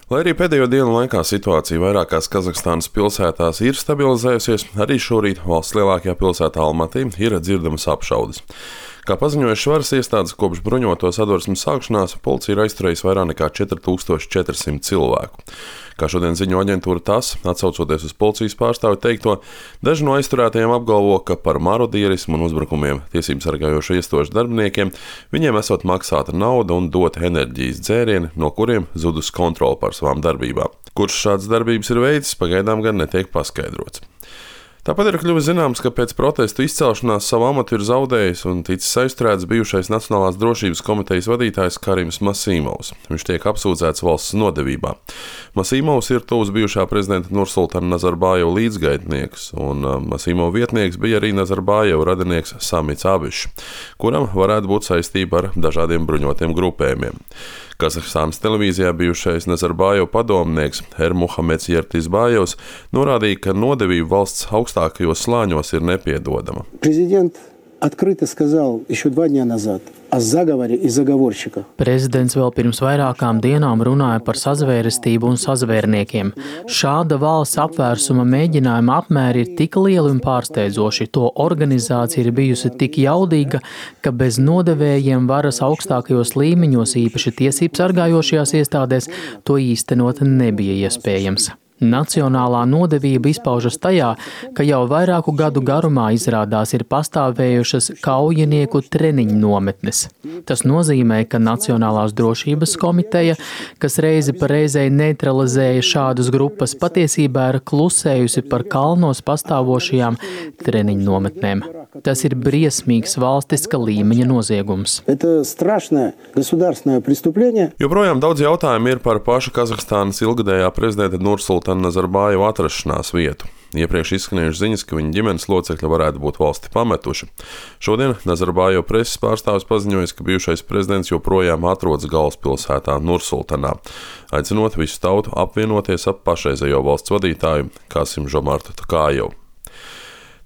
Lai arī pēdējo dienu laikā situācija vairākās Kazahstānas pilsētās ir stabilizējusies, arī šorīt valsts lielākajā pilsētā Almatī ir dzirdamas apšaudes. Kā paziņojuši varas iestādes, kopš bruņoto sadursmes sākšanās policija ir aizturējusi vairāk nekā 4400 cilvēku. Kā šodien ziņo aģentūra TASS, atsaucoties uz policijas pārstāvi teikto, daži no aizturētajiem apgalvo, ka par marodierismu un uzbrukumiem tiesību sargājošo iestāžu darbiniekiem viņiem esot maksāta nauda un dota enerģijas dzērieni, no kuriem zudus kontrole pār savām darbībām. Kurš šādas darbības ir veicis, pagaidām gan netiek paskaidrots. Tāpat ir kļuvis zināms, ka pēc protestu izcelšanās savu amatu ir zaudējis un ticis aizturēts bijušais Nacionālās drošības komitejas vadītājs Karims Masīmovs. Viņš tiek apsūdzēts valsts nodevībā. Masīmovs ir tuvs bijušā prezidenta Nursultana Nazarbājeva līdzgaitnieks, un Masīmova vietnieks bija arī Nazarbājeva radinieks Samits Abišs, kuram varētu būt saistība ar dažādiem bruņotiem grupējumiem. Kazahstānas televīzijā bijušais Nazarbājeva padomnieks Ermuhameds Yertizbājevs norādīja, ka nodevība valsts augstākajos slāņos ir nepiedodama. Prezidents открыто сказал еще 2 дня назад о заговоре и заговорщиках. Prezidents vēl pirms vairākām dienām runāja par sazvērestību un sazvērniekiem. Šāda valsts apvērsuma mēģinājuma apmēri ir tik lieli un pārsteidzoši. To organizācija ir bijusi tik jaudīga, ka bez nodevējiem varas augstākajos līmeņos, īpaši tiesību sargājošajās iestādēs, to īstenot nebija iespējams. Nacionālā nodevība izpaužas tajā, ka jau vairāku gadu garumā izrādās ir pastāvējušas kaujinieku treniņu nometnes. Tas nozīmē, ka Nacionālās drošības komiteja, kas reizi pa reizei neutralizēja šādas grupas, patiesībā ir klusējusi par kalnos pastāvošajām treniņu nometnēm. Tas ir briesmīgs valstiska līmeņa noziegums. Joprojām daudz jautājumu ir par paša Kazahstānas ilgadējā prezidenta Nursultana Nazarbājeva atrašanās vietu. Iepriekš izskanējušas ziņas, ka viņa ģimenes locekļi varētu būt valsti pametuši. Šodien Nazarbājeva preses pārstāvis paziņojis, ka bijušais prezidents joprojām atrodas galvaspilsētā Nursultanā, aicinot visu tautu apvienoties ap pašreizējo valsts vadītāju Kasim Žomartu Tokājevu.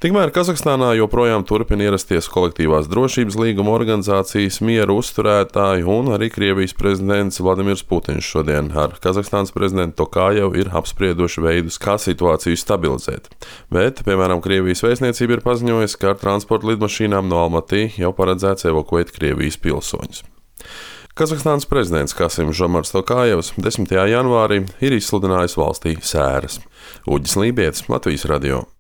Tikmēr Kazahstānā joprojām turpina ierasties kolektīvās drošības līguma organizācijas miera uzturētāji, un arī Krievijas prezidents Vladimirs Putins šodien ar Kazahstānas prezidentu Tokājevu ir apsprieduši veidus, kā situāciju stabilizēt. Bet, piemēram, Krievijas vēstniecība ir paziņojusi, ka ar transporta lidmašīnām no Almatī jau paredzēts evakuēt Krievijas pilsoņus. Kazahstānas prezidents Kasims Žomarts Tokājevs 10. janvārī ir izsludinājis valstī sēras. Uģis Lībietis, Latvijas radio.